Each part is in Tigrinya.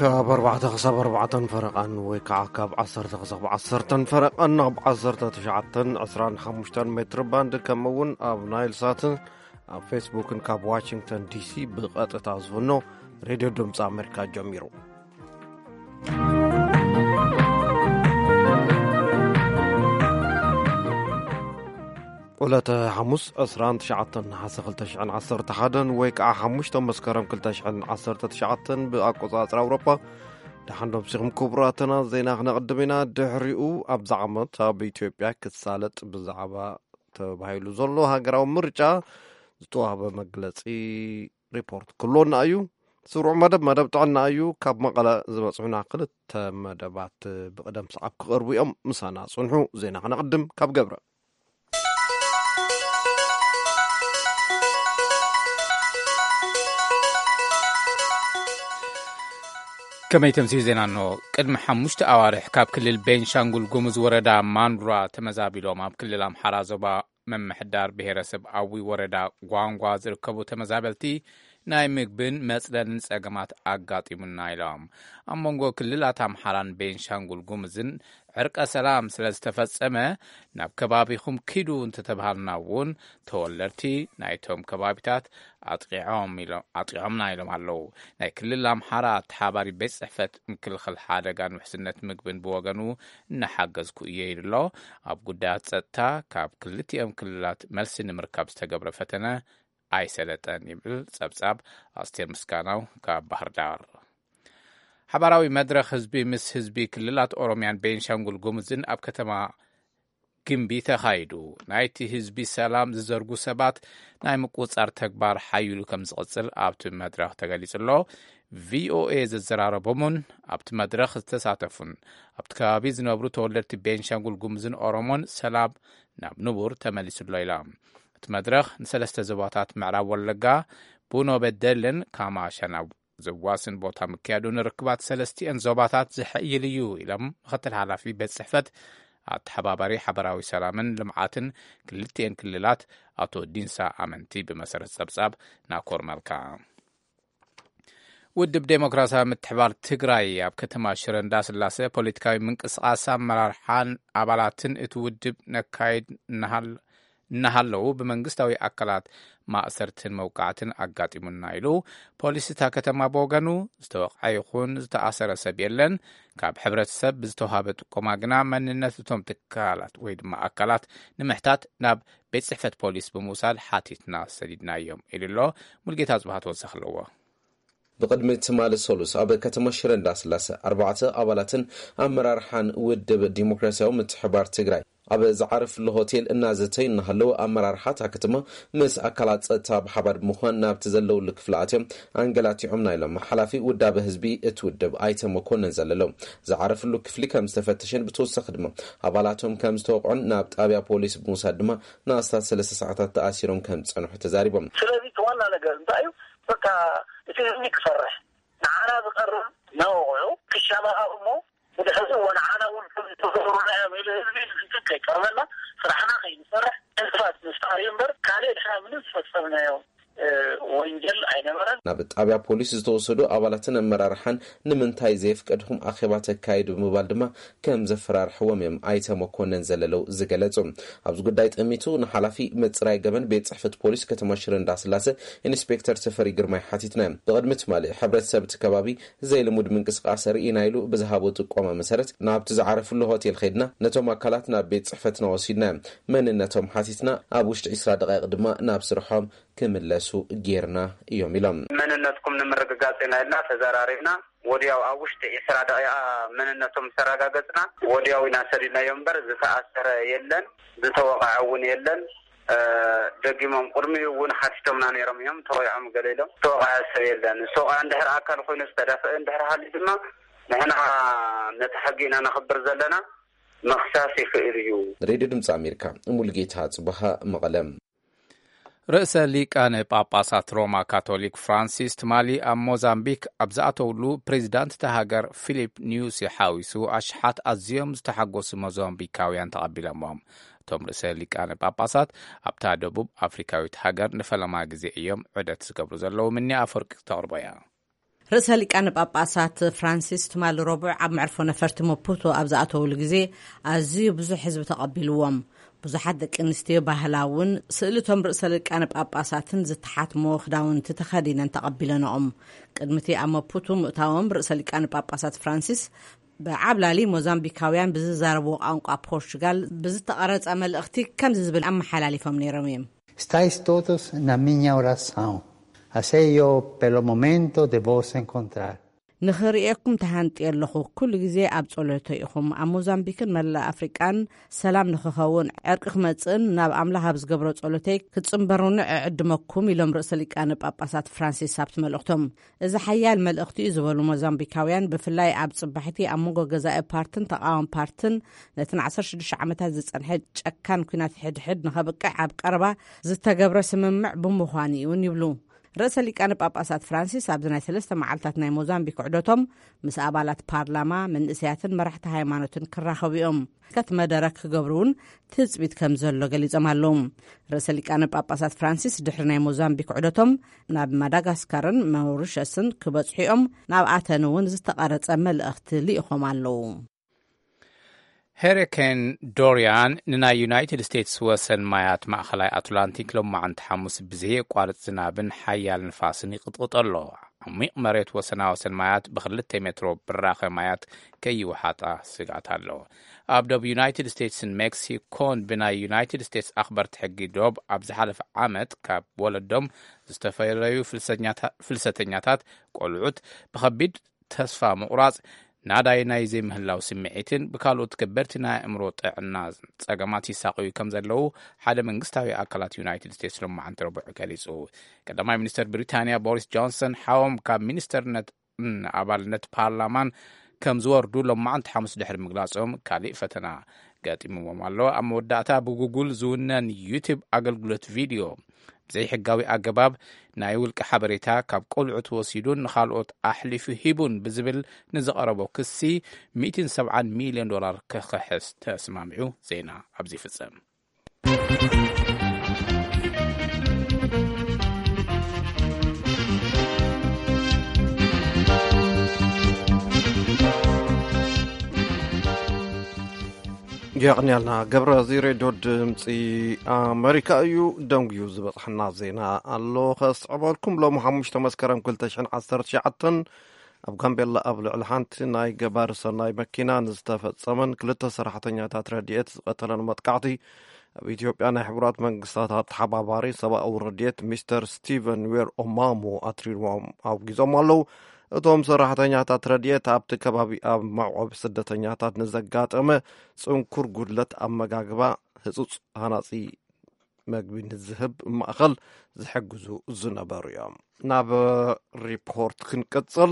ካብ ኣርባዕተ ክሳብ ኣርባዕተን ፈረቓን ወይ ከዓ ካብ ዓሰርተ ክሳብ ዓሰርተን ፈረቓን ኣብ ዓሰርተ ትሽዓተን ዕስራን ሓሙሽተን ሜትር ባንድ፣ ከምኡ እውን ኣብ ናይል ሳት ኣብ ፌስቡክን ካብ ዋሽንግተን ዲሲ ብቐጥታ ዝፍኖ ሬድዮ ድምፂ ኣሜሪካ ጀሚሩ። ዕለተ ሓሙስ ዕስራን ትሽዓተን ነሓሰ ክልተ ሽሕን ዓሰርተ ሓደን ወይ ከዓ ሓሙሽተ መስከረም ክልተ ሽሕን ዓሰርተ ትሽዓተን ብኣቆፃፅራ ኣውሮጳ። ደሓን ዶ ምሲኹም ክቡራትና? ዜና ክነቕድም ኢና። ድሕሪኡ ኣብዚ ዓመት ኣብ ኢትዮጵያ ክሳለጥ ብዛዕባ ተባሂሉ ዘሎ ሃገራዊ ምርጫ ዝተዋህበ መግለጺ ሪፖርት ክህልወና እዩ። ስሩዕ መደብ፣ መደብ ጥዕና እዩ። ካብ መቐለ ዝበጽሑና ክልተ መደባት ብቕደም ሰዓብ ክቐርቡ እዮም። ምሳና ጽንሑ። ዜና ክነቕድም ካብ ገብረ። ከመይ ተምስዩ ዜና? እንሆ። ቅድሚ ሓሙሽተ ኣዋርሕ ካብ ክልል ቤንሻንጉል ጉሙዝ ወረዳ ማንዱራ ተመዛቢሎም ኣብ ክልል ኣምሓራ ዞባ ምምሕዳር ብሄረሰብ ኣዊ ወረዳ ጓንጓ ዝርከቡ ተመዛበልቲ ናይ ምግብን መጽለልን ጸገማት ኣጋጢሙና ኢሎም። ኣብ መንጎ ክልላት ኣምሓራን ቤንሻንጉል ጉሙዝን ዕርቀ ሰላም ስለ ዝተፈጸመ ናብ ከባቢኹም ኪዱ እንተተባሃልና እውን ተወለድቲ ናይቶም ከባቢታት ኣጥቂዖም ኢሎ-፣ ኣጥቂዖምና ኢሎም ኣለዉ። ናይ ክልል ኣምሓራ ኣተሓባሪ ቤት ጽሕፈት ምክልኻል ሓደጋን ውሕስነት ምግብን ብወገኑ እናሓገዝኩ እየ ኢሉ ኣሎ። ኣብ ጉዳያት ጸጥታ ካብ ክልቲኦም ክልላት መልሲ ንምርካብ ዝተገብረ ፈተነ ኣይሰለጠን ይብል ጸብጻብ ኣስቴር ምስጋናው ካብ ባህር ዳር። ሓባራዊ መድረኽ ህዝቢ ምስ ህዝቢ ክልላት ኦሮሚያን ቤንሻንጉል ጉሙዝን ኣብ ከተማ ግምቢ ተኻይዱ። ናይቲ ህዝቢ ሰላም ዝዘርጉ ሰባት ናይ ምቁጻር ተግባር ሓይሉ ከም ዝቕጽል ኣብቲ መድረኽ ተገሊጹ ኣሎ። ቪኦኤ ዘዘራረቦምን ኣብቲ መድረኽ ዝተሳተፉን ኣብቲ ከባቢ ዝነብሩ ተወለድቲ ቤንሻንጉል ጉሙዝን ኦሮሞን ሰላም ናብ ንቡር ተመሊሱ ኣሎ ኢሎም። እቲ መድረኽ ንሰለስተ ዞባታት ምዕራብ ወለጋ፣ ቡኖ በደልን ካማሻን ኣብ ዘዋስን ቦታ ምክያዱ ንርክባት ሰለስቲኤን ዞባታት ዝሕይል እዩ ኢሎም ምክትል ሓላፊ ቤት ጽሕፈት ኣተሓባባሪ ሓበራዊ ሰላምን ልምዓትን ክልቲኤን ክልላት ኣቶ ዲንሳ ኣመንቲ ብመሰረት ጸብጻብ ናኮር መልካ። ውድብ ዴሞክራሲያዊ ምትሕባር ትግራይ ኣብ ከተማ ሽረ እንዳስላሴ ፖለቲካዊ ምንቅስቃስ ኣመራርሓን ኣባላትን እቲ ውድብ ነካይድ እናሃል-፣ እናሃለዉ ብመንግስታዊ ኣካላት ማእሰርትን መውቃዕትን ኣጋጢሙና ኢሉ። ፖሊስ እታ ከተማ ብወገኑ ዝተወቕዐ ይኹን ዝተኣሰረ ሰብ የለን። ካብ ሕብረተሰብ ብዝተዋሃበ ጥቆማ ግና መንነት እቶም ትካላት ወይ ድማ ኣካላት ንምሕታት ናብ ቤት ጽሕፈት ፖሊስ ብምውሳድ ሓቲትና ሰዲድናዮም ኢሉ ኣሎ። ሙልጌታ ጽባህ ተወሳኺ ኣለዎ። ብቕድሚ ትማሊ ሰሉስ ኣብ ከተማ ሽረ እንዳስላሰ ኣርባዕተ ኣባላትን ኣመራርሓን ውድብ ዲሞክራሲያዊ ምትሕባር ትግራይ ኣብ ዝዓረፍሉ ሆቴል እናዘተዩ እናሃለዉ ኣመራርሓ እታ ከተማ ምስ ኣካላት ጸጥታ ብሓባር ብምዃን ናብቲ ዘለውሉ ክፍሊ ኣትዮም ኣንገላቲዖምና ኢሎም ሓላፊ ውዳበ ህዝቢ እቲ ውድብ ኣይተ መኮንን ዘለለው። ዝዓረፍሉ ክፍሊ ከም ዝተፈተሸን ብተወሳኺ ድማ ኣባላቶም ከም ዝተወቕዑን ናብ ጣብያ ፖሊስ ብምውሳድ ድማ ንኣስታት ሰለስተ ሰዓታት ተኣሲሮም ከም ዝጸንሑ ተዛሪቦም። ስለዚ እቲ ዋና ነገር እንታይ እዩ? በቃ እቲ ህዝቢ ክፈርሕ፣ ንዓና ዝቐርብ መወቕዑ ክሻባሃብ እሞ ብድሕሪኡ ወንዓና እውን ከም ዝተገብሩና እዮም ኢሉ ህዝቢ ንህዝቢ ከይቀርበና ስራሕና ከይንሰርሕ ዕንቅፋት ምፍጣር እዩ እምበር ካልእ ድሕና ምንም ዝፈጸምናዮ፣ እ፣ ወንጀል ኣይነበረን። ናብ ጣብያ ፖሊስ ዝተወሰዱ ኣባላትን ኣመራርሓን ንምንታይ ዘየፍቀድኩም ኣኼባ ተካይዱ ብምባል ድማ ከም ዘፈራርሕዎም እዮም ኣይተ መኮንን ዘለለው ዝገለጹ። ኣብዚ ጉዳይ ጠሚቱ ንሓላፊ ምጽራይ ገበን ቤት ጽሕፈት ፖሊስ ከተማ ሽረ እንዳስላሰ ኢንስፔክተር ተፈሪ ግርማይ ሓቲትና። ብቕድሚ ትማሊ ሕብረተሰብ እቲ ከባቢ ዘይልሙድ ምንቅስቃስ ርኢና ኢሉ ብዝሃቦ ጥቆማ መሰረት ናብቲ ዝዓረፍሉ ሆቴል ከይድና ነቶም ኣካላት ናብ ቤት ጽሕፈትና ወሲድና። መንነቶም ሓቲትና ኣብ ውሽጢ ዕስራ ደቂቕ ድማ ናብ ስርሖም ክምለሱ ጌርና እዮም ኢሎም። መንነትኩም ንምርግጋጽ ኢና ኢልና ተዘራሪብና። ወዲያው ኣብ ውሽጢ ዕስራ ደቂቓ መንነቶም ምስ ኣረጋገጽና፣ ወዲያው ኢና ሰዲድናዮም እምበር ዝተኣሰረ የለን፣ ዝተወቕዐ እውን የለን። እ፣ ደጊሞም ቅድሚኡ እውን ሓቲቶምና ነይሮም እዮም። ተወቂዖም ገለ ኢሎም። ዝተወቕዐ ሰብ የለን። ዝተወቕዐ እንድሕር ኣካል ኮይኑ ዝተደፍአ እንድሕር ሃልዩ ድማ ንሕና ነቲ ሕጊ ኢና ነኽብር ዘለና። ምኽሳስ ይኽእል እዩ። ሬድዮ ድምፂ ኣሜሪካ፣ ሙሉጌታ ጽባሃ፣ መቐለ። ርእሰ ሊቃነ ጳጳሳት ሮማ ካቶሊክ ፍራንሲስ ትማሊ ኣብ ሞዛምቢክ ኣብ ዝኣተውሉ፣ ፕሬዚዳንት እታ ሃገር ፊሊፕ ኒዩሲ ሓዊሱ ኣሽሓት ኣዝዮም ዝተሓጎሱ ሞዛምቢካውያን ተቐቢሎሞም። እቶም ርእሰ ሊቃነ ጳጳሳት ኣብታ ደቡብ ኣፍሪካዊት ሃገር ንፈለማ ግዜ እዮም ዑደት ዝገብሩ ዘለዉ። ምኒ ኣፈወርቂ ክተቕርቦ እያ። ርእሰ ሊቃነ ጳጳሳት ፍራንሲስ ትማሊ ረቡዕ ኣብ መዕርፎ ነፈርቲ መፑቶ ኣብ ዝኣተውሉ ግዜ ኣዝዩ ብዙሕ ህዝቢ ተቐቢልዎም። ብዙሓት ደቂ ኣንስትዮ ባህላውን ስእልቶም ርእሰ ሊቃነ ጳጳሳትን ዝተሓትሞ ክዳውንቲ ተኸዲነን ተቐቢለንኦም። ቅድሚቲ ኣብ መፑቶ ምእታዎም ርእሰ ሊቃነ ጳጳሳት ፍራንሲስ ብዓብላሊ ሞዛምቢካውያን ብዝዛረብዎ ቋንቋ ፖርቹጋል ብዝተቐረጸ መልእኽቲ ከምዚ ዝብል ኣመሓላሊፎም ነይሮም እዮም። Stais todos na miña oração. Así yo, pelo momento, de vos encontrar. ንኽርእየኩም ተሃንጥየ ኣለኹ። ኩሉ ግዜ ኣብ ጸሎተይ ኢኹም። ኣብ ሞዛምቢክን መላእ ኣፍሪቃን ሰላም ንኽኸውን፣ ዕርቂ ክመጽእን ናብ ኣምላኽ ኣብ ዝገብሮ ጸሎተይ ክትጽንበሩኒ እዕድመኩም፣ ኢሎም ርእሰ ሊቃነ ጳጳሳት ፍራንሲስ ኣብቲ መልእኽቶም። እዚ ሓያል መልእኽቲ እዩ ዝበሉ ሞዛምቢካውያን፣ ብፍላይ ኣብ ጽባሕቲ ኣብ መንጎ ገዛኢ ፓርትን ተቓዋሚ ፓርትን ነቲ ን ዓሰርተ ሽዱሽተ ዓመታት ዝጸንሐ ጨካን ኲናት ሕድሕድ ንኸብቅዕ ኣብ ቀረባ ዝተገብረ ስምምዕ ብምዃኑ እዩ እውን ይብሉ። ርእሰ ሊቃነ ጳጳሳት ፍራንሲስ ኣብዚ ናይ ሰለስተ መዓልታት ናይ ሞዛምቢክ ዑደቶም ምስ ኣባላት ፓርላማ፣ መንእሰያትን መራሕቲ ሃይማኖትን ክራኸቡ እዮም። ከቲ መደረ ክገብሩ እውን ትጽቢት ከም ዘሎ ገሊጾም ኣለዉ። ርእሰ ሊቃነ ጳጳሳት ፍራንሲስ ድሕሪ ናይ ሞዛምቢክ ዑደቶም ናብ ማዳጋስካርን ማውሪሸስን ክበጽሑ እዮም። ናብ ኣተን እውን ዝተቐረጸ መልእኽቲ ልኢኾም ኣለዉ። ሄሪኬን ዶሪያን ንናይ ዩናይትድ ስቴትስ ወሰን ማያት ማእኸላይ ኣትላንቲክ ሎማዓንቲ ሓሙስ ብዘየቋርጽ ዝናብን ሓያል ንፋስን ይቕጥቕጦ ኣሎ። ዓሚቕ መሬት ወሰና ወሰን ማያት ብክልተ ሜትሮ ብራኸ ማያት ከይወሓጣ ስግኣት ኣሎ። ኣብ ዶብ ዩናይትድ ስቴትስን ሜክሲኮን ብናይ ዩናይትድ ስቴትስ ኣኽበርቲ ሕጊ ዶብ ኣብ ዝሓለፈ ዓመት ካብ ወለዶም ዝተፈለዩ ፍልሰኛታ-፣ ፍልሰተኛታት ቆልዑት ብኸቢድ ተስፋ ምቑራጽ፣ ናዳይ ናይ ዘይምህላው ስምዒትን ብካልኦት ከበድቲ ናይ ኣእምሮ ጥዕና ጸገማት ይሳቐዩ ከም ዘለዉ ሓደ መንግስታዊ ኣካላት ዩናይትድ ስቴትስ ሎማዓንቲ ረቡዕ ገሊጹ። ቀዳማይ ሚኒስተር ብሪታንያ ቦሪስ ጆንሰን ሓዎም ካብ ሚኒስተርነት፣ ም፣ ኣባልነት ፓርላማን ከም ዝወርዱ ሎማዓንቲ ሓሙስ ድሕሪ ምግላጾም፣ ካሊእ ፈተና ገጢምዎም ኣሎ። ኣብ መወዳእታ ብጉጉል ዝውነን ዩቱብ ኣገልግሎት ቪድዮ ብዘይሕጋዊ ኣገባብ ናይ ውልቂ ሓበሬታ ካብ ቆልዑ ተወሲዱን ንኻልኦት ኣሕሊፉ ሂቡን ብዝብል ንዝቐረቦ ክሲ ሚእትን ሰብዓን ሚልዮን ዶላር ክኽሕስ ተስማሚዑ። ዜና ኣብዚ ይፍጸም። የቕንያልና ገብረ። እዚ ሬድዮ ድምፂ ኣመሪካ እዩ። ደንጉዩ ዝበፅሐና ዜና ኣሎ ከስዕበልኩም። ሎሚ ሓሙሽተ መስከረም ክልተ ሽሕን ዓሰርተ ትሽዓተን ኣብ ጋምቤላ ኣብ ልዕሊ ሓንቲ ናይ ገባሪ ሰናይ መኪና ንዝተፈጸመን ክልተ ሰራሕተኛታት ረድኤት ዝቐተለን መጥቃዕቲ ኣብ ኢትዮጵያ ናይ ሕቡራት መንግስታት ኣተሓባባሪ ሰብኣዊ ረድኤት ሚስተር ስቲቨን ዌር ኦማሞ ኣትሪሮም ኣውጊዞም ኣለዉ። እቶም ሰራሕተኛታት ረድኤት ኣብቲ ከባቢ ኣብ መዕቆቢ ስደተኛታት ንዘጋጠመ ጽንኩር ጉድለት ኣመጋግባ ህጹጽ ሃናጺ መግቢ ንዝህብ ማእኸል ዝሕግዙ ዝነበሩ እዮም። ናብ ሪፖርት ክንቅጽል።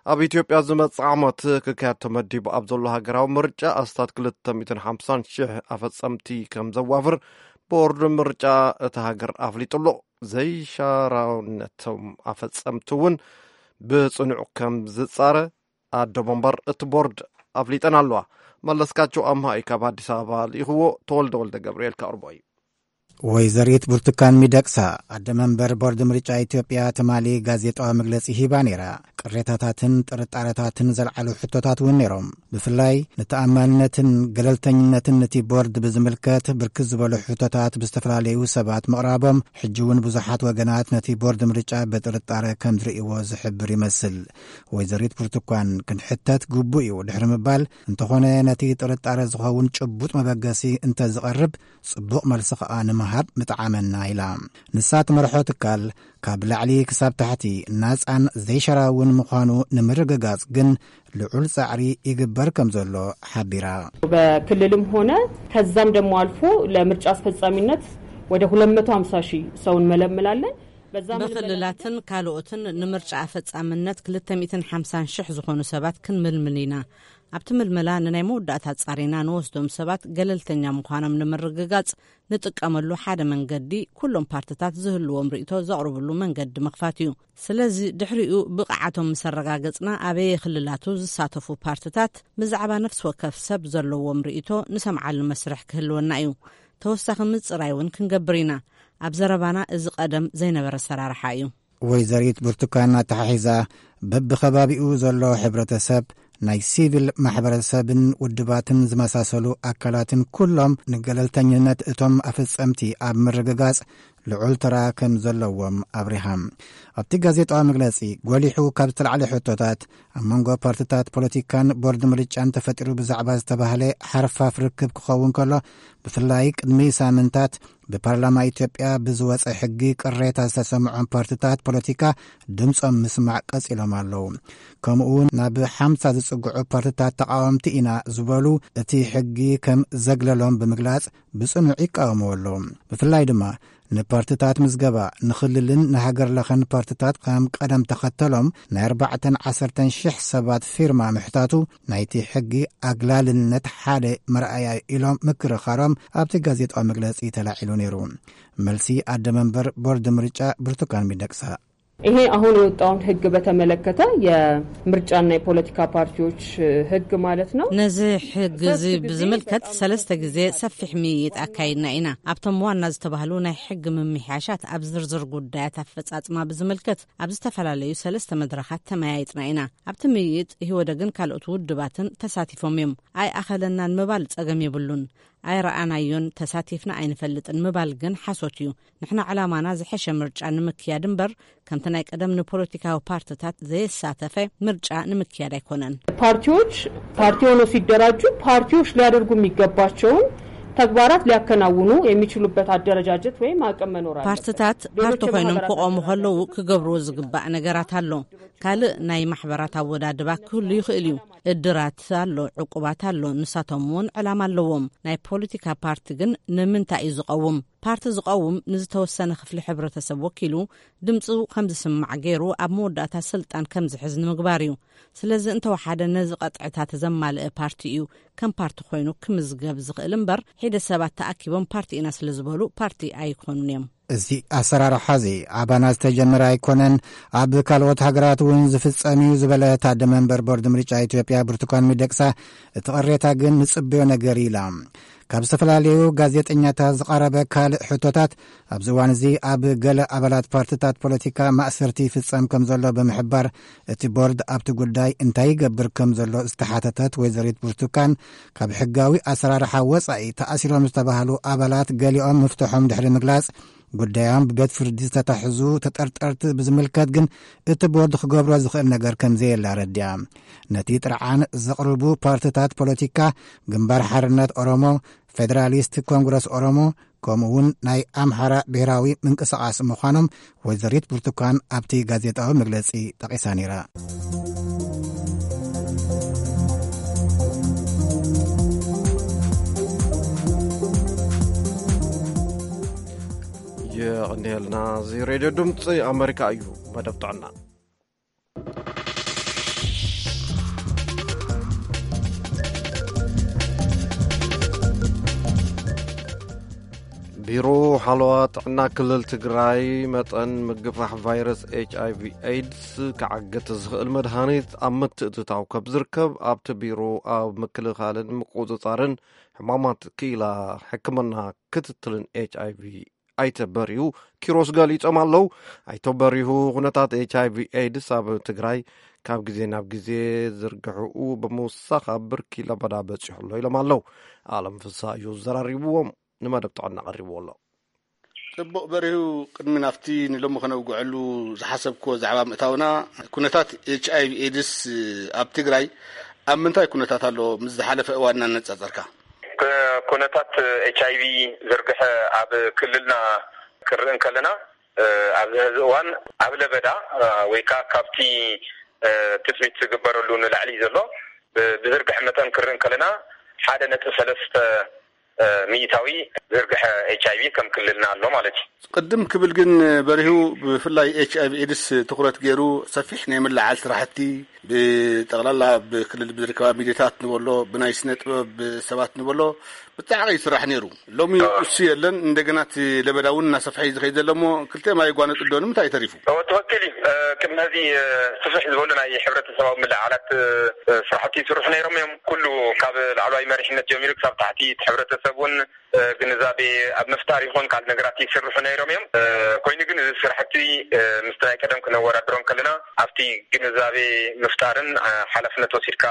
ኣብ ኢትዮጵያ ዝመጽእ ዓመት ክካየድ ተመዲቡ ኣብ ዘሎ ሃገራዊ ምርጫ ኣስታት ክልተ ሚእትን ሓምሳን ሽሕ ኣፈጸምቲ ከም ዘዋፍር ቦርድ ምርጫ እታ ሃገር ኣፍሊጡ ኣሎ። ዘይሻራውነቶም ኣፈጸምቲ እውን ብጽኑዕ ከም ዝጻረ ኣዶ መንበር እቲ ቦርድ ኣፍሊጠን ኣለዋ። መለስካቸው ኣምሃ እዩ ካብ ኣዲስ ኣበባ ልኢኽዎ። ተወልደ ወልደ ገብርኤል ከቕርቦ እዩ። ወይዘሪት ብርቱካን ሚደቅሳ፣ ኣደ መንበር ቦርድ ምርጫ ኢትዮጵያ፣ ትማሊ ጋዜጣዊ መግለጺ ሂባ ነይራ። ቅሬታታትን ጥርጣረታትን ዘልዓሉ ሕቶታት እውን ነይሮም። ብፍላይ ንተኣማንነትን ገለልተኝነትን ነቲ ቦርድ ብዝምልከት ብርክት ዝበሉ ሕቶታት ብዝተፈላለዩ ሰባት ምቕራቦም፣ ሕጂ እውን ብዙሓት ወገናት ነቲ ቦርድ ምርጫ ብጥርጣረ ከም ዝርእይዎ ዝሕብር ይመስል። ወይዘሪት ብርቱካን፣ ክንሕተት ግቡእ እዩ ድሕሪ ምባል፣ እንተኾነ ነቲ ጥርጣረ ዝኸውን ጭቡጥ መበገሲ እንተዝቐርብ ጽቡቕ መልሲ ከኣ ንምሃብ ምጠዓመና ኢላ። ንሳ ትመርሖ ትካል ካብ ላዕሊ ክሳብ ታሕቲ ናጻን ዘይሸራውን ምዃኑ ንምርግጋጽ ግን ልዑል ጻዕሪ ይግበር ከም ዘሎ ሓቢራ። በክልልም ሆነ ከዛም ደግሞ አልፎ ለምርጫ አስፈጻሚነት ወደ ሁለት መቶ ሃምሳ ሺህ ሰው እንመለምላለን። በዛ ምልመላ ብክልላትን ካልኦትን ንምርጫ ኣፈጻምነት ክልተ ሚእትን ሓምሳን ሽሕ ዝኾኑ ሰባት ክንምልምል ኢና። ኣብቲ ምልመላ ንናይ መወዳእታ ጻሪና ንወስዶም ሰባት ገለልተኛ ምዃኖም ንምርግጋጽ ንጥቀመሉ ሓደ መንገዲ፣ ኩሎም ፓርትታት ዝህልዎም ርእይቶ ዘቕርብሉ መንገዲ ምኽፋት እዩ። ስለዚ ድሕሪኡ ብቕዓቶም ምስ ኣረጋገጽና፣ ኣበየ ክልላቱ ዝሳተፉ ፓርትታት ብዛዕባ ነፍሲ ወከፍ ሰብ ዘለዎም ርእይቶ ንሰምዓሉ መስርሕ ክህልወና እዩ። ተወሳኺ ምጽራይ እውን ክንገብር ኢና። ኣብ ዘረባና እዚ ቀደም ዘይነበረ ኣሰራርሓ እዩ። ወይዘሪት ብርቱካን ኣተሓሒዛ፣ በብኸባቢኡ ዘሎ ሕብረተሰብ፣ ናይ ሲቪል ማሕበረሰብን ውድባትን ዝመሳሰሉ ኣካላትን ኩሎም ንገለልተኝነት እቶም ኣፈጸምቲ ኣብ ምርግጋጽ ልዑል ተራ ከም ዘለዎም ኣብሪሃ። ኣብቲ ጋዜጣዊ መግለጺ ጎሊሑ ካብ ዝተላዕለ ሕቶታት፣ ኣብ መንጎ ፓርትታት ፖለቲካን ቦርድ ምርጫን ተፈጢሩ ብዛዕባ ዝተባህለ ሓርፋፍ ርክብ ክኸውን ከሎ፣ ብፍላይ ቅድሚ ሳምንታት ብፓርላማ ኢትዮጵያ ብዝወጸ ሕጊ ቅሬታ ዝተሰምዖም ፓርትታት ፖለቲካ ድምጾም ምስማዕ ቀጺሎም ኣለዉ። ከምኡ እውን ናብ ሓምሳ ዝጽግዑ ፓርትታት ተቃወምቲ ኢና ዝበሉ እቲ ሕጊ ከም ዘግለሎም ብምግላጽ ብጽኑዕ ይቃወምዎ ኣለዉ። ብፍላይ ድማ ንፓርትታት ምዝገባ ንክልልን ንሃገር ለኸን ፓርትታት ከም ቀደም ተኸተሎም ናይ ኣርባዕተን ዓሰርተን ሽሕ ሰባት ፊርማ ምሕታቱ ናይቲ ሕጊ ኣግላልነት ሓደ መርኣያ ኢሎም ምክርኻሮም ኣብቲ ጋዜጣዊ መግለጺ ተላዒሉ ነይሩ። መልሲ ኣደ መንበር ቦርድ ምርጫ ብርቱካን ሚደቅሳ። ይሄ አሁን የወጣውን ህግ በተመለከተ የምርጫና የፖለቲካ ፓርቲዎች ህግ ማለት ነው። ነዚ ሕጊ እዚ ብዝምልከት ሰለስተ ግዜ ሰፊሕ ምይይጥ ኣካይድና ኢና። ኣብቶም ዋና ዝተባህሉ ናይ ሕጊ ምምሕያሻት ኣብ ዝርዝር ጉዳያት ኣፈጻጽማ ብዝምልከት ኣብ ዝተፈላለዩ ሰለስተ መድረኻት ተመያይጥና ኢና። ኣብቲ ምይይጥ ኢህወደግን ካልኦት ውድባትን ተሳቲፎም እዮም። ኣይኣኸለናን ምባል ጸገም የብሉን። ኣይረኣናዮን፣ ተሳቲፍና ኣይንፈልጥን ምባል ግን ሓሶት እዩ። ንሕና ዕላማና ዝሐሸ ምርጫ ንምክያድ እምበር ከምቲ ናይ ቀደም ንፖለቲካዊ ፓርትታት ዘየሳተፈ ምርጫ ንምክያድ ኣይኮነን። ፓርቲዎች ፓርቲ ሆነው ሲደራጁ ፓርቲዎች ሊያደርጉ የሚገባቸውን ተግባራት ሊያከናውኑ የሚችሉበት አደረጃጀት ወይም አቅም መኖር አለበት። ፓርትታት ፓርቲ ኮይኖም ክቆሙ ከለዉ ክገብርዎ ዝግባእ ነገራት ኣሎ። ካልእ ናይ ማሕበራት ኣወዳድባ ክህሉ ይኽእል እዩ። እድራት ኣሎ፣ ዕቁባት ኣሎ፣ ንሳቶም እውን ዕላማ ኣለዎም። ናይ ፖለቲካ ፓርቲ ግን ንምንታይ እዩ ዝቐውም? ፓርቲ ዝቐውም ንዝተወሰነ ክፍሊ ሕብረተሰብ ወኪሉ ድምፁ ከም ዝስማዕ ገይሩ ኣብ መወዳእታ ስልጣን ከም ዝሕዝ ንምግባር እዩ። ስለዚ እንተወሓደ ነዚ ቀጥዕታት ዘማልአ ፓርቲ እዩ ከም ፓርቲ ኮይኑ ክምዝገብ ዝኽእል እምበር፣ ሒደ ሰባት ተኣኪቦም ፓርቲ ኢና ስለ ዝበሉ ፓርቲ ኣይኮኑን እዮም። እዚ ኣሰራርሓ እዚ ኣባና ዝተጀመረ ኣይኮነን፣ ኣብ ካልኦት ሃገራት እውን ዝፍጸም እዩ ዝበለ ታደ መንበር ቦርድ ምርጫ ኢትዮጵያ ብርቱካን ሚደቅሳ፣ እቲ ቅሬታ ግን ንጽበዮ ነገር ኢላ። ካብ ዝተፈላለዩ ጋዜጠኛታት ዝቐረበ ካልእ ሕቶታት፣ ኣብዚ እዋን እዚ ኣብ ገለ ኣባላት ፓርትታት ፖለቲካ ማእሰርቲ ይፍጸም ከም ዘሎ ብምሕባር፣ እቲ ቦርድ ኣብቲ ጉዳይ እንታይ ይገብር ከም ዘሎ ዝተሓተተት ወይዘሪት ብርቱካን፣ ካብ ሕጋዊ ኣሰራርሓ ወጻኢ ተኣሲሮም ዝተባህሉ ኣባላት ገሊኦም ምፍትሖም ድሕሪ ምግላጽ፣ ጉዳዮም ብቤት ፍርዲ ዝተታሕዙ ተጠርጠርቲ ብዝምልከት ግን እቲ ቦርድ ክገብሮ ዝኽእል ነገር ከም ዘየለ ኣረዲኣ። ነቲ ጥርዓን ዘቕርቡ ፓርትታት ፖለቲካ ግንባር ሓርነት ኦሮሞ፣ ፌደራሊስት ኮንግረስ ኦሮሞ፣ ከምኡ እውን ናይ ኣምሓራ ብሔራዊ ምንቅስቓስ ምዃኖም ወይዘሪት ብርቱካን ኣብቲ ጋዜጣዊ መግለጺ ጠቒሳ ነይራ። የቐንየልና። እዚ ሬድዮ ድምፂ ኣመሪካ እዩ። መደብ ጥዕና። ቢሮ ሓለዋ ጥዕና ክልል ትግራይ መጠን ምግፋሕ ቫይረስ ኤች ኣይ ቪ ኤድስ ክዓግት ዝኽእል መድሃኒት ኣብ ምትእትታው ከብ ዝርከብ ኣብቲ ቢሮ ኣብ ምክልኻልን ምቁፅፃርን ሕማማት ክኢላ ሕክምና ክትትልን ኤች ኣይ ቪ ኣይተ በሪሁ ኪሮስ ገሊጾም ኣለዉ። ኣይተ በሪሁ፣ ኩነታት ኤች ኣይ ቪ ኤድስ ኣብ ትግራይ ካብ ግዜ ናብ ግዜ ዝርግሕኡ ብምውሳኽ ኣብ ብርኪ ለበዳ በጺሑ ኣሎ ኢሎም ኣለዉ። ኣለም ፍስሃ እዩ ዘራሪብዎም፣ ንመደብ ጥዕና ቀሪብዎ ኣሎ። ጽቡቕ በሪሁ፣ ቅድሚ ናብቲ ንሎሚ ከነውግዐሉ ዝሓሰብክዎ ዛዕባ ምእታውና፣ ኩነታት ኤች ኣይ ቪ ኤድስ ኣብ ትግራይ ኣብ ምንታይ ኩነታት ኣሎ ምስ ዝሓለፈ እዋን እናነጻጸርካ? ኩነታት ኤች ኣይ ቪ ዝርግሐ ኣብ ክልልና ክንርኢ እንከለና፣ እ፣ ኣብዚ ሕዚ እዋን ኣብ ለበዳ፣ እ፣ ወይ ከዓ ካብቲ፣ እ፣ ትጽቢት ዝግበረሉ ንላዕሊ ዘሎ፣ ብ-፣ ብዝርግሐ መጠን ክንርኢ እንከለና ሓደ ነጥቢ ሰለስተ፣ እ፣ ሚእታዊ ዝርግሐ ኤች ኣይ ቪ ከም ክልልና ኣሎ ማለት እዩ። ቅድም ክብል ግን በሪሁ ብፍላይ ኤች ኣይ ቪ ኤድስ ትኹረት ገይሩ ሰፊሕ ናይ ምልዓል ስራሕቲ ብጠቕላላ ብክልል ብዝርከባ ሚዲያታት ንበሎ፣ ብናይ ስነ ጥበብ ሰባት ንበሎ፣ ብጣዕቂ ይስራሕ ነይሩ። ሎሚ እሱ የለን፣ እንደገና እቲ ለበዳ እውን እናሰፍሐ እዩ ዝኸይድ ዘሎ እሞ ክልተ ማይ ይጓነጽ ዶ ንምንታይ ተሪፉ? እወ፣ ትኽክል እዩ። እ፣ ቅድሚ ሕዚ፣ እ፣ ስፍሕ ዝበሉ ናይ ሕብረተሰባዊ ምልዕዓላት፣ እ፣ ስራሕቲ ይስርሑ ነይሮም እዮም። ኩሉ ካብ ላዕለዋይ መሪሕነት ጀሚሩ ክሳብ ታሕቲ እቲ ሕብረተሰብ እውን፣ እ፣ ግንዛበ ግንዛቤ ኣብ ምፍጣር ይኾን ካልእ ነገራት ይስርሑ ነይሮም እዮም። ኮይኑ ግን እዚ ስራሕቲ ምስ ናይ ቀደም ክነወዳድሮም ከለና ኣብቲ ግንዛቤ ምፍጣርን ሓላፍነት ወሲድካ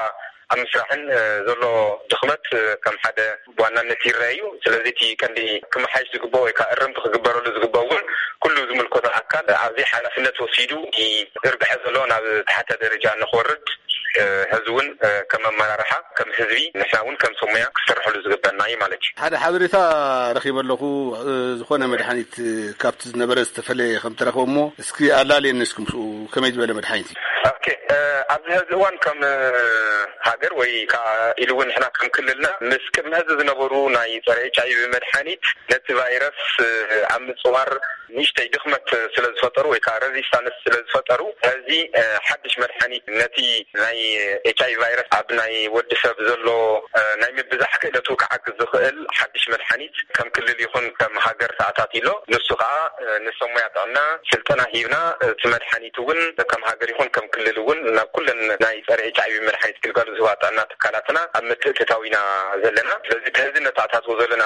ኣብ ምስራሕን ዘሎ ድኽመት ከም ሓደ ብዋናነት ይረአ እዩ። ስለዚ እቲ ቀንዲ ክመሓይሽ ዝግበኦ ወይ ከዓ እርምቲ ክግበረሉ ዝግበኦ እውን ኩሉ ዝምልከቶ ኣካል ኣብዚ ሓላፍነት ወሲዱ ዝርግሐ ዘሎ ናብ ታሕተ ደረጃ ንክወርድ ህዝቢ እውን ከም ኣመራርሓ ከም ህዝቢ ንሕና እውን ከም ሰሙያ ክሰርሐሉ ዝግበና እዩ ማለት እዩ። ሓደ ሓበሬታ ረኺበ ኣለኹ። ዝኾነ መድሓኒት ካብቲ ዝነበረ ዝተፈለየ ከም ተረኽበ እሞ እስኪ ኣላልየኒ እስኪ ምስኡ ከመይ ዝበለ መድሓኒት እዩ? ኦኬ፣ ኣብዚ ሕዚ እዋን ከም ሃገር ወይ ከዓ ኢሉ እውን ንሕና ከም ክልልና ምስ ቅድሚ ሕዚ ዝነበሩ ናይ ፀረ ኤች ኣይ ቪ መድሓኒት ነቲ ቫይረስ ኣብ ምፅዋር ንእሽተይ ድኽመት ስለ ዝፈጠሩ ወይ ከዓ ረዚስታንስ ስለ ዝፈጠሩ፣ ሕዚ ሓድሽ መድሓኒት ነቲ ናይ ኤች ኣይ ቪ ቫይረስ ኣብ ናይ ወዲ ሰብ ዘሎ ናይ ምብዛሕ ክእለቱ ክዓግዝ ዝኽእል ሓድሽ መድሓኒት ከም ክልል ይኹን ከም ሃገር ተኣታትዩ ኣሎ። ንሱ ከዓ ንሰሙያ ጥዕና ስልጠና ሂብና እቲ መድሓኒት እውን ከም ሃገር ይኹን ከም ክልል እውን ናብ ኩለን ናይ ፀረ ኤች ኣይ ቪ መድሓኒት ግልጋሎት ዝህባ ጥዕና ትካላትና ኣብ ምትእትታው ኢና ዘለና። ስለዚ እቲ ሕዚ ነተኣታትዎ ዘለና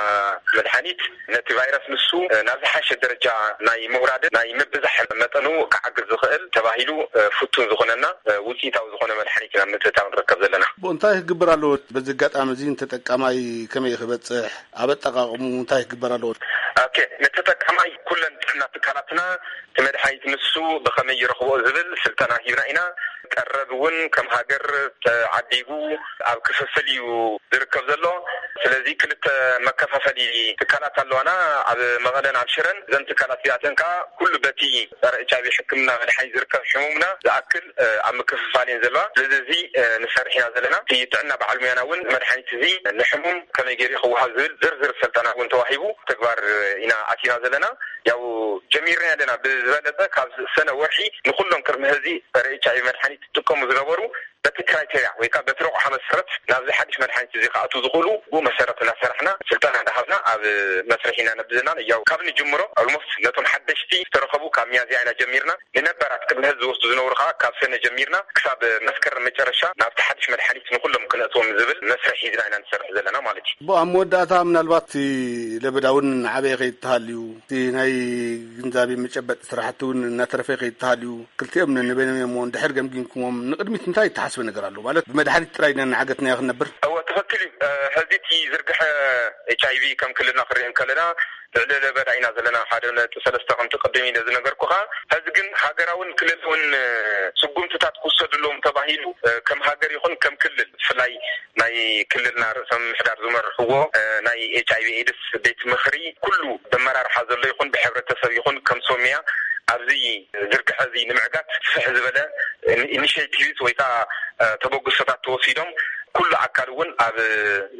መድሓኒት ነቲ ቫይረስ ንሱ ናብ ዝሓሸ ደረጃ ናይ ምውራድን ናይ ምብዛሕ መጠኑ ክዓግዝ ዝኽእል ተባሂሉ ፍቱን ዝኾነና ውፅኢታዊ ዝኾነ መድሓኒት ኢና ምትእትታው ንርከብ ዘለና። እንታይ ክግበር ኣለዎ? በዚ ኣጋጣሚ እዚ ንተጠቃማይ ከመይ ክበፅሕ፣ ኣብ ኣጠቃቅሙ እንታይ ክግበር ኣለዎ? ኦኬ፣ ንተጠቃማይ ኩለን ጥዕና ትካላትና እቲ መድሓኒት ንሱ ብኸመይ ይረኽቦ ዝብል ስልጠና ሂብና ኢና። ቀረብ እውን ከም ሃገር ተዓዲጉ ኣብ ክፍፍል እዩ ዝርከብ ዘሎ። ስለዚ ክልተ መከፋፈሊ ትካላት ኣለዋና፣ ኣብ መቐለን ኣብ ሽረን። እዘን ትካላት እዚኣተን ከዓ ኩሉ በቲ ፀረ ኤች ኣይ ቪ ሕክምና መድሓኒት ዝርከብ ሕሙምና ዝኣክል ኣብ ምክፍፋል እየን ዘለዋ። ስለዚ እዚ ንሰርሕ ኢና ዘለና። እቲ ጥዕና በዓል ሙያና እውን መድሓኒት እዚ ንሕሙም ከመይ ገይሩ ክወሃብ ዝብል ዝርዝር ስልጠና እውን ተዋሂቡ ተግባር ኢና ኣቲና ዘለና። ያው ጀሚርና ኣለና። ብዝበለፀ ካብ ሰነ ወርሒ ንኩሎም ቅድሚ ሕዚ ፀረ ኤች ኣይ ቪ መድሓኒት ዝጥቀሙ ዝነበሩ በቲ ክራይቴሪያ ወይ ከዓ በቲ ረቑሓ መሰረት ናብዚ ሓድሽ መድሓኒት እዚ ክኣትዉ ዝኽእሉ ብኡ መሰረት እናሰራሕና ስልጠና እንዳሃብና ኣብ መስርሕ ኢና ነብዘና። ያው ካብ ንጅምሮ ኦልሞስት ነቶም ሓደሽቲ ዝተረኸቡ ካብ ሚያዝያ ኢና ጀሚርና። ንነባራት ቅድሚ ሕዚ ዝወስዱ ዝነበሩ ከዓ ካብ ሰነ ጀሚርና ክሳብ መስከረም መጨረሻ ናብቲ ሓድሽ መድሓኒት ንኩሎም ክነእትዎም ዝብል መስርሕ ሒዝና ኢና ንሰርሕ ዘለና ማለት እዩ። ብኡ ኣብ መወዳእታ ምናልባት እቲ ለበዳ እውን ዓበየ ከይተሃልዩ፣ እቲ ናይ ግንዛቤ መጨበጢ ስራሕቲ እውን እናተረፈ ከይተሃልዩ፣ ክልቲኦም ነንበይኖም እዮም እሞ እንድሕር ገምጊምኩሞም ንቅድሚት እንታይ እተሓስበ ነገር ኣሎ? ማለት ብመድሓኒት ጥራይ ኢና እናዓገትናዮ ክንነብር? እወ፣ ትኽክል እዩ። እ፣ ሕዚ እቲ ዝርግሐ ኤች ኣይ ቪ ከም ክልልና ክሪኦ እንከለና ልዕሊ ለበዳ ኢና ዘለና፣ ሓደ ነጥቢ ሰለስተ ከምቲ ቅድም ኢለ ዝነገርኩኻ። ሕዚ ግን ሃገራውን ክልላውን ስጉምትታት ክውሰዱ ኣለዎም ተባሂሉ፣ እ፣ ከም ሃገር ይኹን ከም ክልል፣ ብፍላይ ናይ ክልልና ርእሰ ምምሕዳር ዝመርሕዎ፣ እ፣ ናይ ኤች ኣይ ቪ ኤድስ ቤት ምኽሪ ኩሉ ብመራርሓ ዘሎ ይኹን ብሕብረተሰብ ይኹን ከም ሶምያ ኣብዚ ዝርግሐ እዚ ንምዕጋት ስፍሕ ዝበለ ኢኒሽቲቭስ ወይ ከዓ፣ እ፣ ተበግሶታት ተወሲዶም ኩሉ ኣካል እውን ኣብ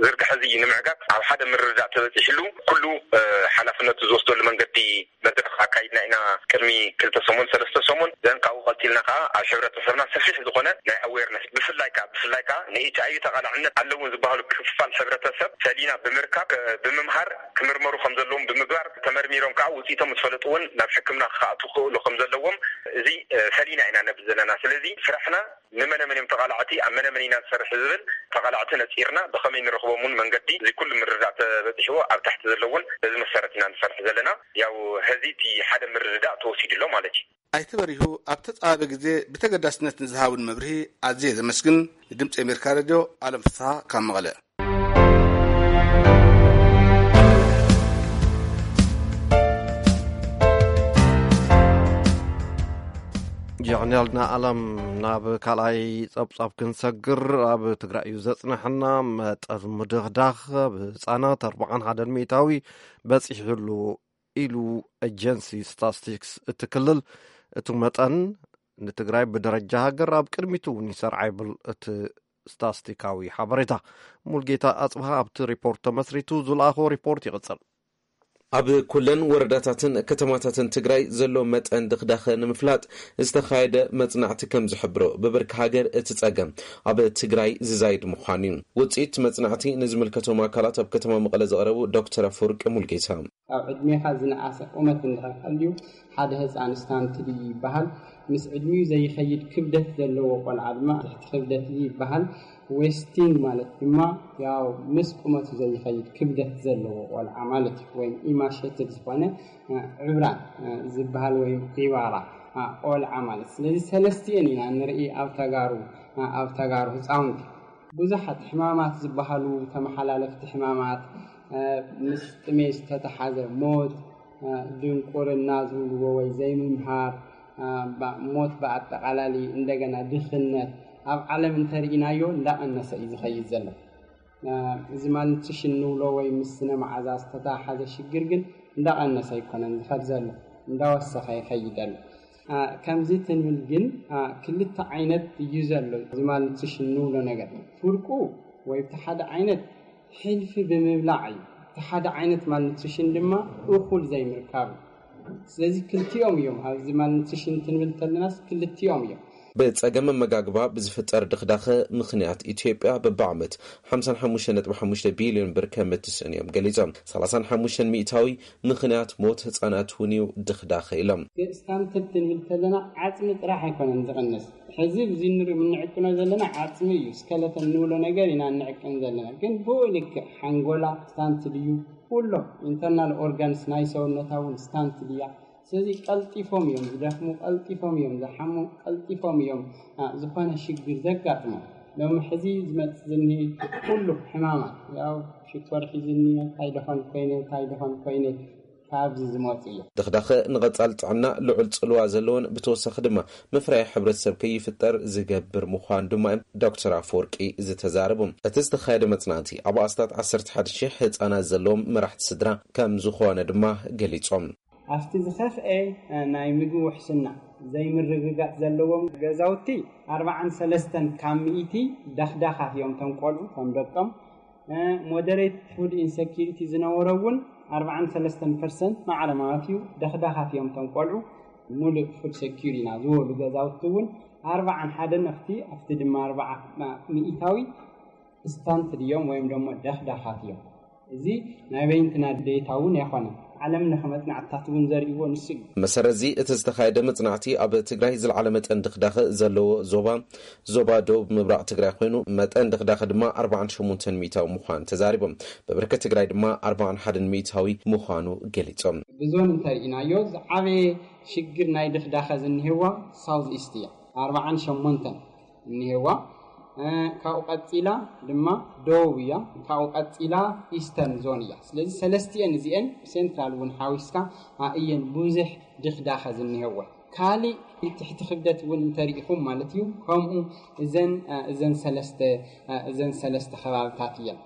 ዝርግሐ እዚ ንምዕጋት ኣብ ሓደ ምርድዳእ ተበፂሕሉ ኩሉ፣ እ፣ ሓላፍነቱ ዝወስደሉ መንገዲ መድረኽ ኣካይድና ኢና። ቅድሚ ክልተ ሰሙን ሰለስተ ሰሙን ዘን ካብኡ ቀፂልና ከዓ ኣብ ሕብረተሰብና ሰፊሕ ዝኾነ ናይ ኣዌርነስ ብፍላይ ከዓ ብፍላይ ከዓ ንኤች ኣይ ቪ ተቓላዕነት ኣለውን ዝበሃሉ ክፋል ሕብረተሰብ ፈሊና ብምርካብ፣ እ፣ ብምምሃር ክምርመሩ ከም ዘለዎም ብምግባር ተመርሚሮም ከዓ ውፅኢቶም ምስ ፈለጡ እውን ናብ ሕክምና ክኣቱ ክኽእሉ ከም ዘለዎም እዚ፣ እ፣ ፈሊና ኢና ነብል ዘለና። ስለዚ ስራሕና ንመነመን እዮም ተቓላዕቲ፣ ኣብ መነመን ኢና ንሰርሕ ዝብል ተቓላዕቲ ነፂርና ብኸመይ ንረኽቦም እውን መንገዲ እዚ ኩሉ ምርድዳእ ተበፂሕዎ ኣብ ታሕቲ ዘለውን በዚ መሰረት ኢና ንሰርሕ ዘለና። ያው ሕዚ እቲ ሓደ ምርድዳእ ተወሲዱ ኣሎ ማለት እዩ። ኣይተ በሪሁ ኣብ ተፃባቢ ግዜ ብተገዳስነት ንዝሃቡን መብርሂ ኣዝየ ዘመስግን። ንድምፂ ኣሜሪካ ሬድዮ ኣለም ፍስሃ ካብ መቐለ። ጀርናልና ኣለም። ናብ ካልኣይ ጸብጻብ ክንሰግር፣ ኣብ ትግራይ እዩ ዘጽንሐና። መጠን ምድኽዳኽ ኣብ ህጻናት ኣርብዓን ሓደን ሚእታዊ በጺሑሉ ኢሉ ኤጀንሲ ስታስቲክስ እቲ ክልል። እቲ መጠን ንትግራይ ብደረጃ ሃገር ኣብ ቅድሚቱ እውን ይሰርዓ ይብል እቲ ስታስቲካዊ ሓበሬታ። ሙልጌታ ኣጽብሃ ኣብቲ ሪፖርት ተመስሪቱ ዝለኣኾ ሪፖርት ይቕጽል። ኣብ ኩለን ወረዳታትን ከተማታትን ትግራይ ዘሎ መጠን ድኽዳኸ ንምፍላጥ ዝተኻየደ መጽናዕቲ ከም ዝሕብሮ፣ ብብርኪ ሃገር እቲ ጸገም ኣብ ትግራይ ዝዛይድ ምዃኑ እዩ። ውጽኢት መጽናዕቲ ንዝምልከቶም ኣካላት ኣብ ከተማ መቐለ ዘቕረቡ ዶክተር ኣፈወርቂ ሙልጌታ፣ ካብ ዕድሜኻ ዝነኣሰ ቁመት እንድሕር ሃልዩ ሓደ ህፃን ስታንትድ እዩ ይበሃል። ምስ ዕድሚኡ ዘይኸይድ ክብደት ዘለዎ ቆልዓ ድማ ትሕቲ ክብደት እዩ ይበሃል። ዌስቲንግ ማለት ድማ ያው ምስ ቁመቱ ዘይኸይድ ክብደት ዘለዎ ቆልዓ ማለት እዩ። ወይም ኢማሸትድ ዝኾነ ዕብራን ዝበሃል ወይም ዒባራ ቆልዓ ማለት። ስለዚ ሰለስቲኤን ኢና ንርኢ ኣብ ተጋሩ ኣብ ተጋሩ ህፃውንቲ። ብዙሓት ሕማማት ዝበሃሉ ተመሓላለፍቲ ሕማማት፣ ምስ ጥሜት ዝተተሓዘ ሞት፣ ድንቁርና ዝብልዎ ወይ ዘይምምሃር፣ ሞት ብኣጠቓላሊ፣ እንደገና ድኽነት ኣብ ዓለም እንተርኢናዮ እንዳቐነሰ እዩ ዝኸይድ ዘሎ። እዚ ማልኒትሪሽን ንብሎ ወይ ምስ ስነ መዓዛ ዝተተሓሓዘ ሽግር ግን እንዳቐነሰ ኣይኮነን ዝኸድ ዘሎ፣ እንዳወሰኸ ይኸይድ ኣሎ። ከምዚ ትንብል ግን ክልተ ዓይነት እዩ ዘሎ እዚ ማልኒትሪሽን ንብሎ ነገር። ፍርቁ ወይ እቲ ሓደ ዓይነት ሕልፊ ብምብላዕ እዩ። እቲ ሓደ ዓይነት ማልኒትሪሽን ድማ እኹል ዘይምርካብ እዩ። ስለዚ ክልቲኦም እዮም ኣብዚ ማልኒትሪሽን ትንብል ተለናስ ክልቲኦም እዮም። ብጸገም ኣመጋግባ ብዝፍጠር ድኽዳኸ ምኽንያት ኢትዮጵያ በብዓመት ሓምሳን ሓሙሽተን ነጥቢ ሓሙሽተ ቢልዮን ብር ከም እትስእን እዮም ገሊጾም። ሰላሳን ሓሙሽተን ሚእታዊ ምኽንያት ሞት ህጻናት እውን እዩ ድኽዳኸ ኢሎም። ስታንትድ ትንብል ተለና ዓጽሚ ጥራሕ ኣይኮነን ዝቕንስ። ሕዚ እዚ ንሪኦ እንዕቅኖ ዘለና ዓጽሚ እዩ። ስከለተን ንብሎ ነገር ኢና እንዕቅን ዘለና። ግን ብኡ ልክዕ ሓንጎላ ስታንትድ እዩ። ኩሎም ኢንተርናል ኦርጋንስ ናይ ሰውነታ እውን ስታንትድ እያ። ስለዚ ቀልጢፎም እዮም ዝደኽሙ፣ ቀልጢፎም እዮም ዝሓሙ፣ ቀልጢፎም እዮም ዝኾነ ሽግር ዘጋጥሞም። ሎሚ ሕዚ ዝመፅእ ዝኒ ኩሉ ሕማማት ያው ሽኮር ሒዝኒ እንታይ ደኾን ኮይነ እንታይ ደኾን ኮይነ ካብዚ ዝመፁ እዮም። ድኽዳኸ ንቐፃል ጥዕና ልዑል ፅልዋ ዘለዎን ብተወሳኺ ድማ ምፍራይ ሕብረተሰብ ከይፍጠር ዝገብር ምዃን ድማ እዮም ዶክተር ኣፈወርቂ ዝተዛረቡ። እቲ ዝተኻየደ መፅናዕቲ ኣብ ኣስታት ዓሰርተ ሓደ ሺሕ ህፃናት ዘለዎም መራሕቲ ስድራ ከም ዝኾነ ድማ ገሊፆም። ኣብቲ ዝኸፍኤ ናይ ምግቢ ውሕስና ዘይምርግጋፅ ዘለዎም ገዛውቲ ኣርባዓን ሰለስተን ካብ ሚእቲ ደኽዳኻት እዮም እቶም ቆልዑ ከም ደቆም። ሞደሬት ፉድ ኢንሰኪሪቲ ዝነበሮ እውን ኣርባዓን ሰለስተን ፐርሰንት ማዕረ ማለት እዩ ደኽዳኻት እዮም እቶም ቆልዑ። ሙሉእ ፉድ ሰኪር ኢና ዝበሉ ገዛውቲ እውን ኣርባዓን ሓደን ኣብቲ ኣብቲ ድማ ኣርባዓ ሚእታዊ ስታንትድ እዮም ወይም ደሞ ደኽዳኻት እዮም። እዚ ናይ በይንትና ዴታ እውን ኣይኮነን። ዓለም ለኸ መፅናዕትታት እውን ዘርእይዎ ንሱ እዩ። መሰረት እዚ እቲ ዝተኻየደ መፅናዕቲ ኣብ ትግራይ ዝለዓለ መጠን ድኽዳኸ ዘለዎ ዞባ ዞባ ደቡብ ምብራቕ ትግራይ ኮይኑ መጠን ድኽዳኸ ድማ ኣርባዓን ሸሞንተን ሚእታዊ ምዃኑ ተዛሪቦም። ብብርኪ ትግራይ ድማ ኣርባዓን ሓደን ሚእታዊ ምዃኑ ገሊፆም። ብዞን እንተርኢናዮ ዝዓበየ ሽግር ናይ ድኽዳኸ ዝኒሄዋ ሳውዝ ኢስት እያ። ኣርባዓን ሸሞንተን እኒሄዋ። ካብኡ ቀፂላ ድማ ደቡብ እያ። ካብኡ ቀፂላ ኢስተርን ዞን እያ። ስለዚ ሰለስቲኤን እዚኤን ሴንትራል እውን ሓዊስካ እየን ብዙሕ ድኽዳኸ ዝኒሄወን። ካሊእ ትሕቲ ክብደት እውን እንተሪኢኹም ማለት እዩ። ከምኡ እዘን እዘን ሰለስተ እዘን ሰለስተ ከባብታት እየን።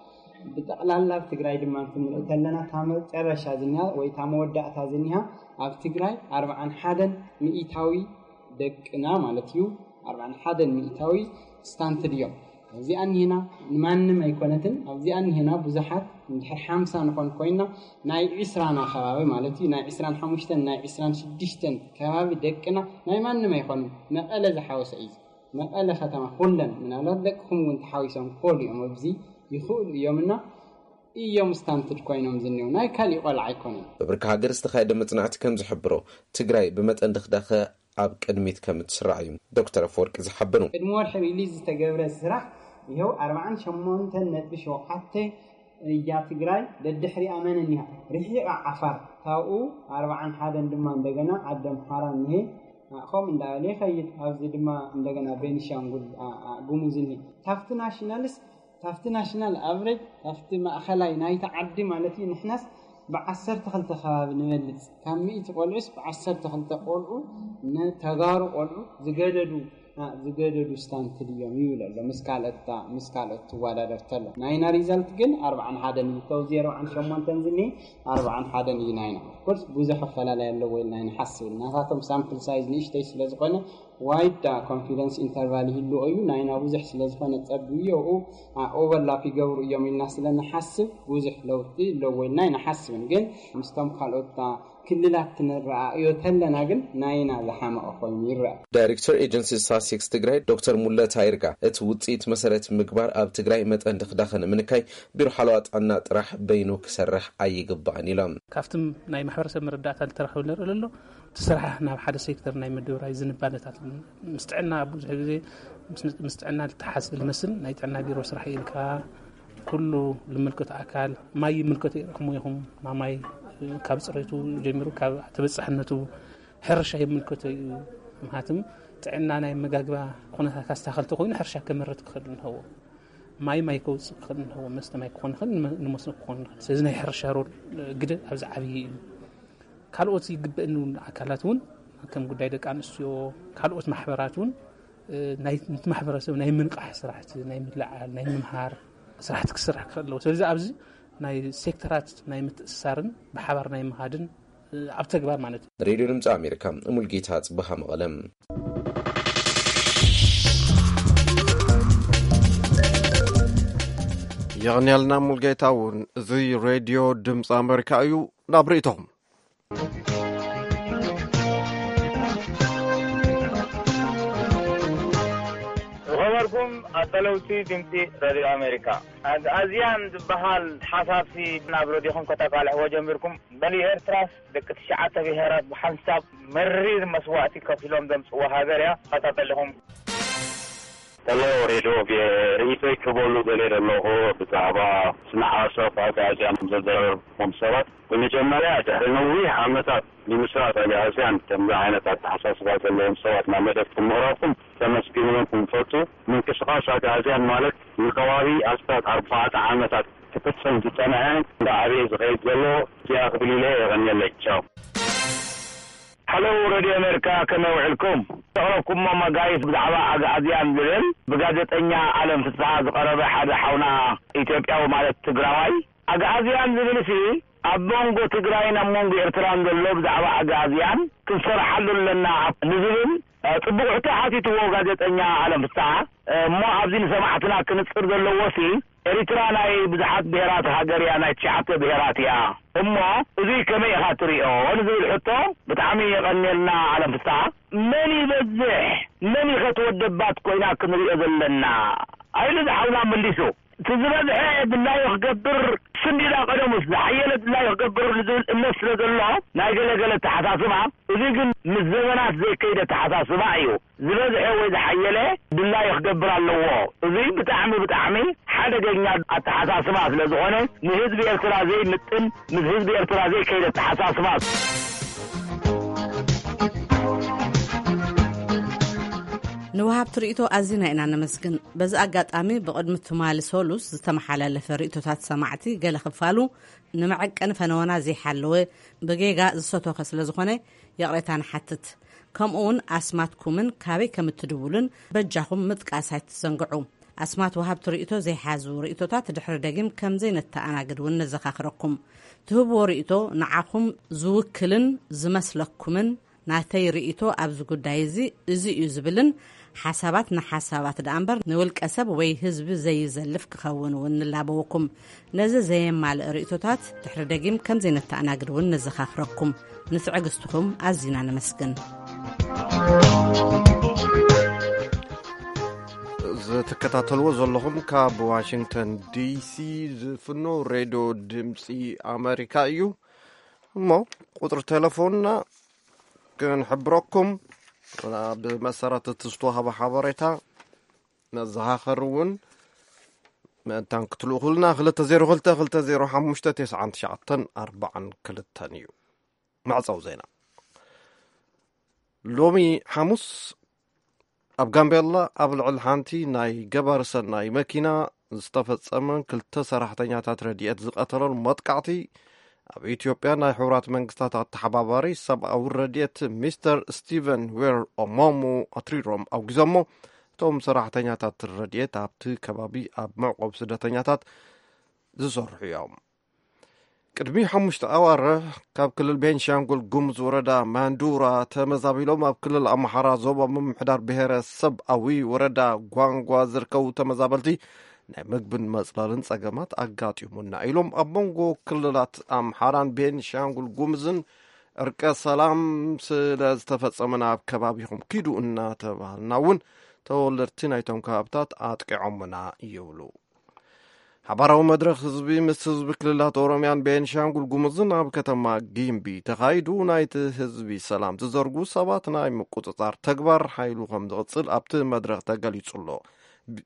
ብጠቕላላ ኣብ ትግራይ ድማ ክንርኢ ከለና እታ መጨረሻ ዝኒሃ ወይ እታ መወዳእታ ዝኒሃ ኣብ ትግራይ ኣርባዓን ሓደን ሚእታዊ ደቅና ማለት እዩ ኣርባዓን ሓደን ሚእታዊ ስታንትድ እዮም። ኣብዚኣ እኒሄና ንማንም ኣይኮነትን። ኣብዚኣ እኒሄና ብዙሓት እንድሕር ሓምሳ ንኾን ኮይና ናይ ዒስራና ከባቢ ማለት እዩ ናይ ዒስራን ሓሙሽተን ናይ ዒስራን ሽዱሽተን ከባቢ ደቅና ናይ ማንም ኣይኮኑን። መቐለ ዝሓወሰ እዩ። መቐለ ከተማ ኩለን ምናልባት ደቅኹም እውን ተሓዊሶም ክኾኑ እዮም። ኣብዚ ይኽእሉ እዮም እና እዮም ስታንትድ ኮይኖም ዝኒው ናይ ካሊእ ቆልዓ ኣይኮነን። ብብርኪ ሃገር ዝተኻየደ መፅናዕቲ ከም ዝሕብሮ ትግራይ ብመጠን ድኽዳኸ ኣብ ቅድሚት ከም እትስራዕ እዩ ዶክተር ኣፈወርቂ ዝሓበሩ። ቅድሚ ወርሒ ሪሊዝ ዝተገብረ ስራሕ ይኸው ኣርባዓን ሸሞንተን ነጥቢ ሸውዓተ እያ ትግራይ ደድሕሪኣ መን እኒሃ ርሒቓ ዓፋር ካብኡ ኣርባዓን ሓደን ድማ እንደገና ዓዲ ኣምሓራ እኒሄ ከምኡ እንዳበለ ይኸይድ። ኣብዚ ድማ እንደገና ቤኒሻንጉል ጉሙዝ እኒሄ ካብቲ ናሽናልስ ካብቲ ናሽናል ኣቨሬጅ ካብቲ ማእኸላይ ናይቲ ዓዲ ማለት እዩ። ንሕናስ ብዓሰርተ ክልተ ከባቢ ንበልፅ ካብ ሚእቲ ቆልዑስ ብዓሰርተ ክልተ ቆልዑ ንተጋሩ ቆልዑ ዝገደዱ ዝገደዱ ስታንትድ እዮም ይብል ኣሎ ምስ ካልኦት ምስ ካልኦት ትወዳደር ተሎ ናይና ሪዛልት ግን ኣርባዓን ሓደን እዩ። ካብዚ ኣርባዓን ሸሞንተን ዝኒ ኣርባዓን ሓደን እዩ ናይና። ኮርስ ብዙሕ ኣፈላላይ ኣለዎ ኢልና ንሓስብ። ናታቶም ሳምፕል ሳይዝ ንእሽተይ ስለ ዝኾነ ዋይድ ኮንፊደንስ ኢንተርቫል ይህልዎ እዩ። ናይና ብዙሕ ስለ ዝኾነ ጸብብዮ፣ ኦቨርላፕ ይገብሩ እዮም ኢልና ስለ ንሓስብ ብዙሕ ለውጢ ኣለዎ ኢልና ኣይንሓስብን። ግን ምስቶም ካልኦት ክልላት ክንረኣእዮ ተለና ግን ናይና ዝሓመቐ ኮይኑ ይረአ። ዳይሬክተር ኤጀንሲ ስታትስቲክስ ትግራይ ዶክተር ሙለታ ይርጋ፣ እቲ ውፅኢት መሰረት ምግባር ኣብ ትግራይ መጠን ድኽዳኸ ንምንካይ ቢሮ ሓለዋ ጥዕና ጥራሕ በይኑ ክሰርሕ ኣይግባእን ኢሎም። ካብቲ ናይ ማሕበረሰብ መረዳእታ ዝተረኸበ ንርኢ ኣሎ። እቲ ስራሕ ናብ ሓደ ሴክተር ናይ ምድብራይ ዝንባለታት ምስ ጥዕና ብዙሕ ግዜ ምስ ጥዕና ዝተሓዝ ልመስል። ናይ ጥዕና ቢሮ ስራሕ ኢልካ ኩሉ ልምልከቶ ኣካል ማይ ይምልከቶ ኢኹም ኢኹም ማማይ ካብ ፅሬቱ ጀሚሩ ካብ ተበፃሕነቱ ሕርሻ ይምልከቶ እዩ። ምክንያቱም ጥዕና ናይ መጋግባ ኩነታት ካስተካከል ተኮይኑ ሕርሻ ከመርት ክኽእል እንሀዎ፣ ማይ ማይ ከውፅእ ክኽእል እንሀዎ፣ መስተ ማይ ክኾን ይኽእል፣ ንመስኖ ክኾን ይኽእል። ስለዚ ናይ ሕርሻ ሮል ግደ ኣብዚ ዓብዪ እዩ። ካልኦት ይግበእን እውን ኣካላት እውን ከም ጉዳይ ደቂ ኣንስትዮ ካልኦት ማሕበራት እውን ናይ ማሕበረሰብ ናይ ምንቃሕ ስራሕቲ ናይ ምልዓል ናይ ምምሃር ስራሕቲ ክስራሕ ክኽእል ኣለዎ። ስለዚ ኣብዚ ናይ ሴክተራት ናይ ምትእስሳርን ብሓባር ናይ ምሃድን ኣብ ተግባር ማለት እዩ። ሬድዮ ድምፂ ኣሜሪካ፣ ሙልጌታ ፅበሃ፣ መቐለም። የቕንያልና ሙልጌታ እውን። እዚ ሬድዮ ድምፂ ኣሜሪካ እዩ። ናብ ርእይቶም። ዝኸበርኩም ኣዳለውቲ ድምፂ ሬድዮ ኣሜሪካ፣ ኣግኣዝያን ዝበሃል ሓሳብሲ ናብ ረድዮኹም ከተቃልሕዎ ጀሚርኩም። በሊ ኤርትራስ ደቂ ትሽዓተ ብሄራት ብሓንሳብ መሪር መስዋእቲ ከፊሎም ዘምፅዎ ሃገር እያ። ተኸታተልኹም። ሄሎ ሬድዮ፣ ርእይቶይ ክበሉ ደልየ ዘለኹ ብዛዕባ ስነ ሓሳብ ኣግኣዝያን ዘዘራረብኩም ሰባት፣ ብመጀመርያ ድሕሪ ነዊሕ ዓመታት ንምስራት ኣግኣዝያን ከምዚ ዓይነት ኣተሓሳስባ ዘለዎም ሰባት ናብ መደብኩም ምቕራብኩም ከመስግንኩም ክፈቱ። ምንቅስቃስ ኣግኣዝያን ማለት ንከባቢ ኣስታት ኣርባዕተ ዓመታት ክፍጸም ዝጸንሐ እንዳዓበየ ዝኸይድ ዘሎ እዚኣ ክብል ኢለ። የቐንየለይ። ቻው። ሃሎ ሬድዮ ኣሜሪካ፣ ከመይ ውዕልኩም? ዘቕረብኩሞ መጋይስ ብዛዕባ ኣግኣዝያን ዝብል ብጋዜጠኛ ኣለም ፍስሓ ዝቐረበ ሓደ ሓውና ኢትዮጵያዊ ማለት ትግራዋይ ኣግኣዝያን ዝብል ሲ ኣብ መንጎ ትግራይን ኣብ መንጎ ኤርትራን ዘሎ ብዛዕባ ኣግኣዝያን ክንሰርሓሉ ኣለና ንዝብል ጽቡቕ ሕቶ ሓቲትዎ ጋዜጠኛ ኣለም ፍስሓ። እሞ ኣብዚ ንሰማዕትና ክንጽር ዘለዎ ሲ ኤሪትራ ናይ ብዙሓት ብሄራት ሃገር እያ፣ ናይ ትሽዓተ ብሄራት እያ። እሞ እዚ ከመይ ኢኻ ትሪኦ ንዝብል ሕቶ ብጣዕሚ የቐንየልና ኣለም ፍስሓ። መን ይበዝሕ መን ይኸትወደባት ኮይና ክንሪኦ ዘለና? ኣይሉ ዝሓውና መሊሱ። እቲ ዝበዝሐ ድላዩ ክገብር ስንዲዳ ቀደሙስ ዝሓየለ ድላዩ ክገብር ንዝብል እምነት ስለ ዘሎ ናይ ገለ ገለ ኣተሓሳስባ፣ እዚ ግን ምስ ዘመናት ዘይከይደ ኣተሓሳስባ እዩ። ዝበዝሐ ወይ ዝሓየለ ድላዩ ክገብር ኣለዎ። እዚ ብጣዕሚ ብጣዕሚ ሓደገኛ ኣተሓሳስባ ስለ ዝኾነ ንህዝቢ ኤርትራ ዘይምጥን ምስ ህዝቢ ኤርትራ ዘይከይደ ኣተሓሳስባ። ንወሃብቲ ርእይቶ ኣዚና ኢና ነመስግን። በዚ ኣጋጣሚ ብቕድሚ ትማሊ ሰሉስ ዝተመሓላለፈ ርእይቶታት ሰማዕቲ ገለ ክፋሉ ንመዐቀኒ ፈነወና ዘይሓለወ ብጌጋ ዝሰቶኸ ስለ ዝኾነ ይቕሬታ ንሓትት። ከምኡ እውን ኣስማትኩምን ካበይ ከም እትድውሉን በጃኹም ምጥቃስ ኣይትዘንግዑ። ኣስማት ወሃብቲ ርእይቶ ዘይሓዙ ርእይቶታት ድሕሪ ደጊም ከም ዘይነተኣናግድ እውን ነዘኻኽረኩም። ትህብዎ ርእይቶ ንዓኹም ዝውክልን ዝመስለኩምን ናተይ ርእይቶ ኣብዚ ጉዳይ እዚ እዚ እዩ ዝብልን ሓሳባት ንሓሳባት ደኣ እምበር ንውልቀ ሰብ ወይ ህዝቢ ዘይዘልፍ ክኸውን እውን ንላበወኩም። ነዚ ዘየማልእ ርእይቶታት ድሕሪ ደጊም ከም ዘይነተኣናግድ እውን ነዘኻኽረኩም። ንትዕግስትኹም ኣዚና ነመስግን። ዝትከታተልዎ ዘለኹም ካብ ዋሽንግተን ዲሲ ዝፍኖ ሬድዮ ድምፂ ኣሜሪካ እዩ። እሞ ቁፅሪ ቴሌፎንና ክንሕብረኩም፣ ብመሰረት እቲ ዝተዋህበ ሓበሬታ መዘኻኸሪ እውን ምእንታን ክትልእኹልና፣ ክልተ ዜሮ ክልተ፣ ክልተ ዜሮ ሓሙሽተ፣ ተስዓን ትሽዓተን ኣርባዓን ክልተን እዩ። መዕጸዊ ዜና። ሎሚ ሓሙስ ኣብ ጋምቤላ ኣብ ልዕሊ ሓንቲ ናይ ገባሪ ሰናይ መኪና ዝተፈጸመን ክልተ ሰራሕተኛታት ረድኤት ዝቐተሎን መጥቃዕቲ፣ ኣብ ኢትዮጵያ ናይ ሕቡራት መንግስታት ኣተሓባባሪ ሰብኣዊ ረድኤት ሚስተር ስቲቨን ዌር ኦሞሙ ኣትሪሮም ኣውጊዞሞ። እቶም ሰራሕተኛታት ረድኤት ኣብቲ ከባቢ ኣብ መዕቆብ ስደተኛታት ዝሰርሑ እዮም። ቅድሚ ሓሙሽተ ኣዋርሕ ካብ ክልል ቤንሻንጉል ጉሙዝ ወረዳ ማንዱራ ተመዛቢሎም ኣብ ክልል ኣምሓራ ዞባ ምምሕዳር ብሔረሰብ ኣዊ ወረዳ ጓንጓ ዝርከቡ ተመዛበልቲ ናይ ምግብን መጽለልን ጸገማት ኣጋጢሙና ኢሎም። ኣብ መንጎ ክልላት ኣምሓራን ቤንሻንጉል ጉሙዝን እርቀ ሰላም ስለ ዝተፈጸመ ናብ ከባቢኹም ኪዱ እናተባህልና እውን ተወለድቲ ናይቶም ከባብታት ኣጥቂዖምና ይብሉ። ሓባራዊ መድረኽ ህዝቢ ምስ ህዝቢ ክልላት ኦሮምያን ቤንሻንጉል ጉሙዝን ኣብ ከተማ ጊምቢ ተኻይዱ። ናይቲ ህዝቢ ሰላም ዝዘርጉ ሰባት ናይ ምቁጽጻር ተግባር ሓይሉ ከም ዝቕጽል ኣብቲ መድረኽ ተገሊጹ ኣሎ። ብ-